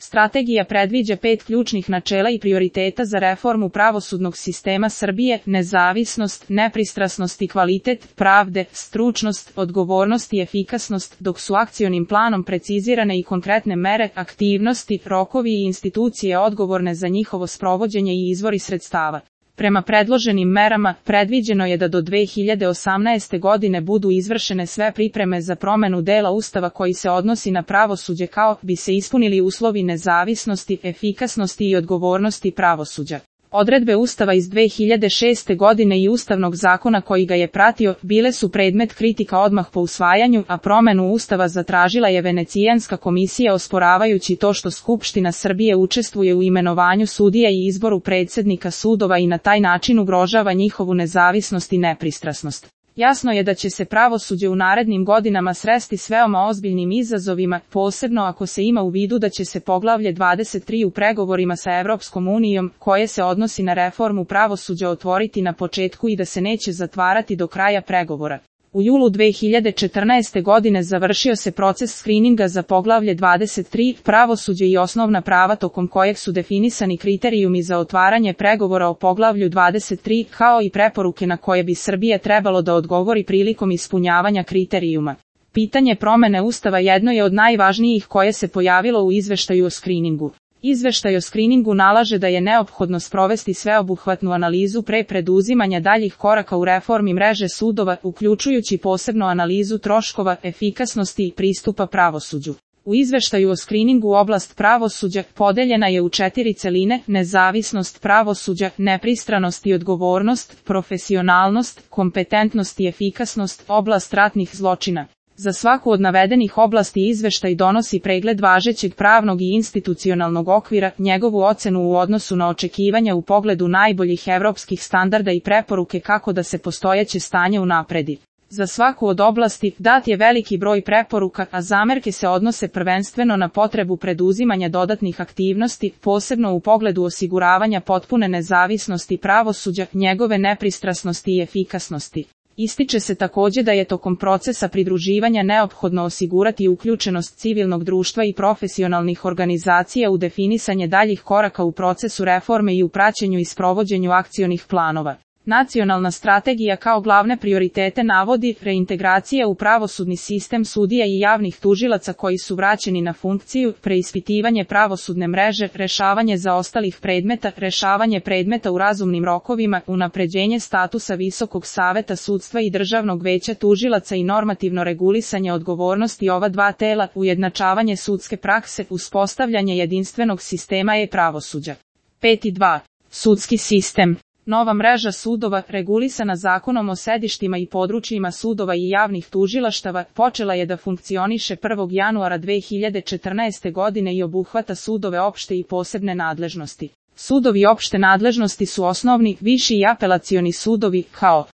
Strategija predviđa 5 ključnih načela i prioriteta za reformu pravosudnog sistema Srbije: nezavisnost, nepristrasnost i kvalitet pravde, stručnost, odgovornost i efikasnost, dok su akcionim planom precizirane i konkretne mere, aktivnosti, rokovi i institucije odgovorne za njihovo sprovođenje i izvori sredstava. Prema predloženim merama, predviđeno je da do 2018. godine budu izvršene sve pripreme za promenu dela Ustava koji se odnosi na pravosuđe kao bi se ispunili uslovi nezavisnosti, efikasnosti i odgovornosti pravosuđa. Odredbe Ustava iz 2006. godine i Ustavnog zakona koji ga je pratio bile su predmet kritika odmah po usvajanju, a promenu Ustava zatražila je Venecijanska komisija osporavajući to što Skupština Srbije učestvuje u imenovanju sudija i izboru predsjednika sudova i na taj način ugrožava njihovu nezavisnost i nepristrasnost. Jasno je da će se pravosuđe u narednim godinama sresti s veoma ozbiljnim izazovima, posebno ako se ima u vidu da će se poglavlje 23 u pregovorima sa Evropskom unijom, koje se odnosi na reformu pravosuđa, otvoriti na početku i da se neće zatvarati do kraja pregovora. U julu 2014. godine završio se proces skrininga za poglavlje 23, pravosuđe i osnovna prava, tokom kojeg su definisani kriterijumi za otvaranje pregovora o poglavlju 23, kao i preporuke na koje bi Srbija trebalo da odgovori prilikom ispunjavanja kriterijuma. Pitanje promene Ustava jedno je od najvažnijih koje se pojavilo u izveštaju o skriningu. Izveštaj o skriningu nalaže da je neophodno sprovesti sveobuhvatnu analizu pre preduzimanja daljih koraka u reformi mreže sudova, uključujući posebno analizu troškova, efikasnosti i pristupa pravosuđu. U izveštaju o skriningu oblast pravosuđa podeljena je u 4 celine: nezavisnost pravosuđa, nepristranost i odgovornost, profesionalnost, kompetentnost i efikasnost, oblast ratnih zločina. Za svaku od navedenih oblasti izveštaj donosi pregled važećeg pravnog i institucionalnog okvira, njegovu ocenu u odnosu na očekivanja u pogledu najboljih evropskih standarda i preporuke kako da se postojeće stanje unapredi. Za svaku od oblasti dat je veliki broj preporuka, a zamerke se odnose prvenstveno na potrebu preduzimanja dodatnih aktivnosti, posebno u pogledu osiguravanja potpune nezavisnosti pravosuđa, njegove nepristrasnosti i efikasnosti. Ističe se također da je tokom procesa pridruživanja neophodno osigurati uključenost civilnog društva i profesionalnih organizacija u definisanje daljih koraka u procesu reforme i u praćenju i sprovođenju akcionih planova. Nacionalna strategija kao glavne prioritete navodi reintegracija u pravosudni sistem sudija i javnih tužilaca koji su vraćeni na funkciju, preispitivanje pravosudne mreže, rešavanje zaostalih predmeta, rešavanje predmeta u razumnim rokovima, unapređenje statusa Visokog saveta sudstva i Državnog veća tužilaca i normativno regulisanje odgovornosti ova dva tela, ujednačavanje sudske prakse, uspostavljanje jedinstvenog sistema e-pravosuđa. 5.2. Sudski sistem. Nova mreža sudova, regulisana Zakonom o sedištima i područjima sudova i javnih tužilaštava, počela je da funkcioniše 1. januara 2014. godine i obuhvata sudove opšte i posebne nadležnosti. Sudovi opšte nadležnosti su osnovni, viši i apelacioni sudovi, kao